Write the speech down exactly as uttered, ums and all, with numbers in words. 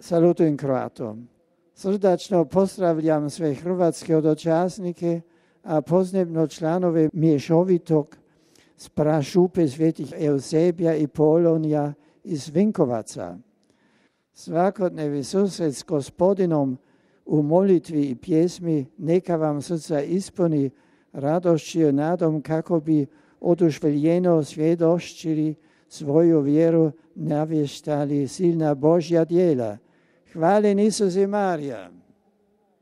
Salutujem Kroatom. Srdačno pozdravljam sve hrvatske dočasnike, a posebno članove mješovitog sprašupe svetih Eusebija i Polonija iz Vinkovaca. Svakodnevni susret s Gospodinom u molitvi i pjesmi neka vam srca ispuni radošću i nadom kako bi oduševljeno svjedočili svoju vjeru, navještali silna Božja djela. Hvaljen Isus i Marija.